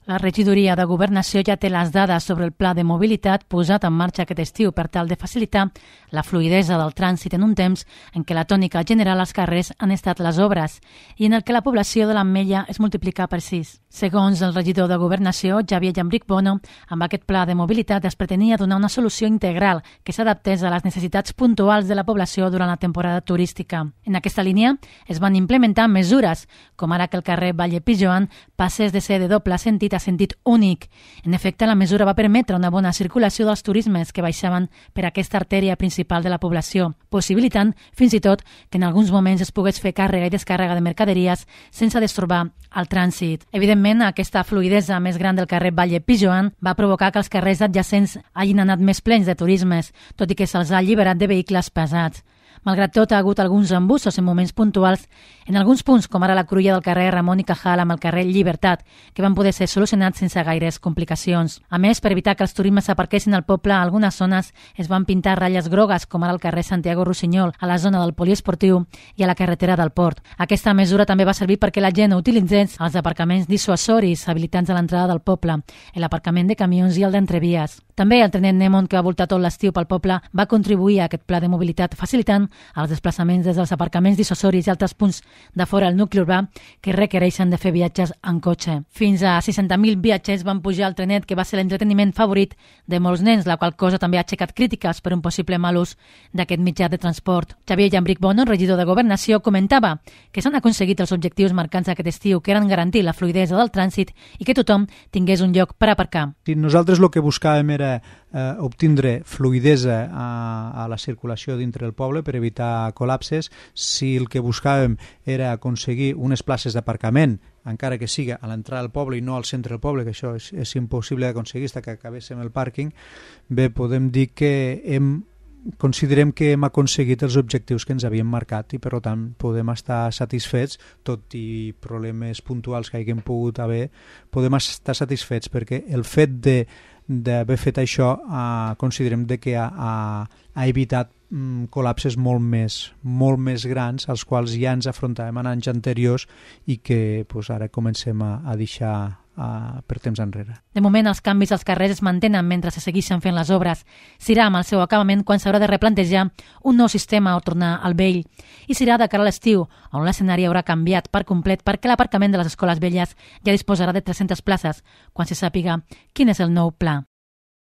La regidoria de Governació ja té les dades sobre el pla de mobilitat posat en marxa aquest estiu per tal de facilitar la fluïdesa del trànsit en un temps en què la tònica general als carrers han estat les obres i en el que la població de l'Ametlla es multiplica per 6. Segons el regidor de Governació, Xavier Llambric Bono, amb aquest pla de mobilitat es pretenia donar una solució integral que s'adaptés a les necessitats puntuals de la població durant la temporada turística. En aquesta línia es van implementar mesures, com ara que el carrer Valle Pijoan passés de ser de doble sentit a sentit únic. En efecte, la mesura va permetre una bona circulació dels turismes que baixaven per aquesta artèria principal de la població, possibilitant, fins i tot, que en alguns moments es pogués fer càrrega i descàrrega de mercaderies sense destorbar el trànsit. Evidentment, aquesta fluïdesa més gran del carrer Valle Pijoan va provocar que els carrers adjacents hagin anat més plens de turismes, tot i que se'ls ha alliberat de vehicles pesats. Malgrat tot, ha hagut alguns embussos en moments puntuals en alguns punts, com ara la cruïlla del carrer Ramon i Cajal amb el carrer Llibertat, que van poder ser solucionats sense gaires complicacions. A més, per evitar que els turismes s'aparquessin al poble, a algunes zones es van pintar ratlles grogues, com ara al carrer Santiago Rossinyol, a la zona del poliesportiu i a la carretera del Port. Aquesta mesura també va servir perquè la gent utilitzés els aparcaments dissuasoris habilitants a l'entrada del poble, l'aparcament de camions i el d'entrevies. També el trenet Nemon, que va voltar tot l'estiu pel poble, va contribuir a aquest pla de mobilitat, facilitant els desplaçaments des dels aparcaments dissuasoris i altres punts de fora del nucli urbà que requereixen de fer viatges en cotxe. Fins a 60.000 viatgers van pujar al trenet, que va ser l'entreteniment favorit de molts nens, la qual cosa també ha aixecat crítiques per un possible mal ús d'aquest mitjà de transport. Xavier Llambric Bono, regidor de Governació, comentava que s'han aconseguit els objectius marcants aquest estiu, que eren garantir la fluïdesa del trànsit i que tothom tingués un lloc per aparcar. Nosaltres el que buscàvem era obtindre fluïdesa a la circulació dintre del poble per evitar col·lapses. Si el que buscàvem era aconseguir unes places d'aparcament, encara que siga a l'entrada del poble i no al centre del poble, que això és impossible d'aconseguir fins que acabéssim el pàrquing, bé, podem dir que considerem que hem aconseguit els objectius que ens havíem marcat i, per tant, podem estar satisfets, tot i problemes puntuals que haguem pogut haver, podem estar satisfets perquè el fet d'haver fet això considerem que ha evitat col·lapses molt més grans als quals ja ens afrontàvem en anys anteriors i que ara comencem a deixar per temps enrere. De moment, els canvis als carrers es mantenen mentre se segueixen fent les obres. Serà amb el seu acabament quan s'haurà de replantejar un nou sistema o tornar al vell. I serà de cara a l'estiu, on l'escenari haurà canviat per complet perquè l'aparcament de les escoles velles ja disposarà de 300 places, quan se sàpiga quin és el nou pla.